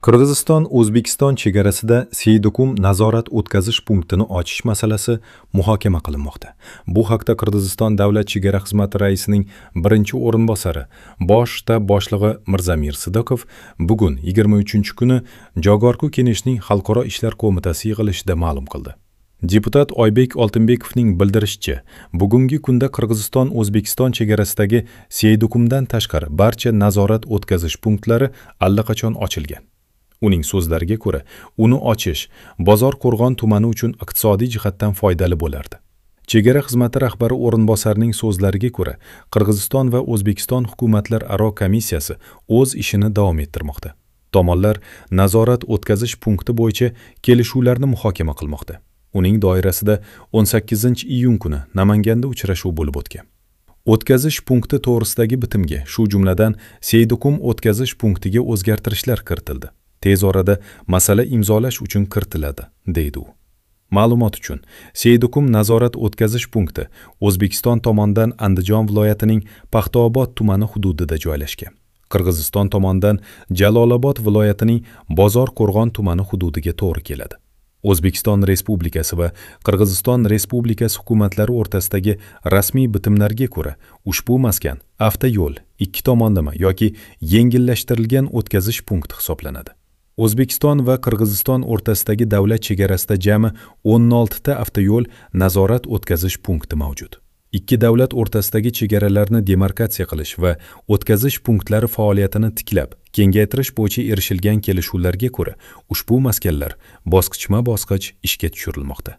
Qirg'iziston O'zbekiston chegarasida Seydukum nazorat o'tkazish punktini ochish masalasi muhokama qilinmoqda. Bu haqda Qirg'iziston Davlat chegara xizmati raisining birinchi o'rinbosari, bosh shtab boshlig'i Mirzamir Sidokov bugun 23-kuni Jogorku Keneshning Xalqaro ishlar qo'mitasi yig'ilishida ma'lum qildi. Deputat Oybek Oltinbekovning bildirishicha, bugungi kunda Qirg'iziston O'zbekiston chegarasidagi Seydukumdan tashqari barcha nazorat o'tkazish punktlari allaqachon ochilgan. Uning so'zlariga ko'ra, uni ochish Bozor-Qo'rg'on tumani uchun iqtisodiy jihatdan foydali bo'lardi. Chegara xizmati rahbari o'rinbosarining so'zlariga ko'ra, Qirg'iziston va O'zbekiston hukumatlararo komissiyasi o'z ishini davom ettirmoqda. Tomonlar nazorat o'tkazish punkti bo'yicha kelishuvlarni muhokama qilmoqda. Uning doirasida 18-iyun kuni Namanganda uchrashuv bo'lib o'tgan. O'tkazish punkti to'g'risidagi bitimga, shu jumladan Seydukum o'tkazish punktiga o'zgartirishlar kiritildi. Tez orada masala imzolash uchun kiritiladi, deydi u. Ma'lumot uchun, Seydukum nazorat o'tkazish punkti O'zbekiston tomonidan Andijon viloyatining Paxtaobod tumani hududida joylashgan. Qirg'iziston tomonidan Jalolobod viloyatining Bozor-Qo'rg'on tumani hududiga to'g'ri keladi. O'zbekiston Respublikasi va Qirg'iziston Respublikasi hukumatlari o'rtasidagi rasmiy bitimlarga ko'ra, ushbu maskan avtoyo'l, ikki tomonlama yoki yengillashtirilgan o'tkazish punkti hisoblanadi. O'zbekiston va Qirg'iziston o'rtasidagi davlat chegarasida jami 16 ta avtoyo'l nazorat o'tkazish punkti mavjud. Ikki davlat o'rtasidagi chegaralarni demarkatsiya qilish va o'tkazish punktlari faoliyatini tiklab, kengaytirish bo'yicha erishilgan kelishuvlarga ko'ra, ushbu maskanlar bosqichma-bosqich ishga tushirilmoqda.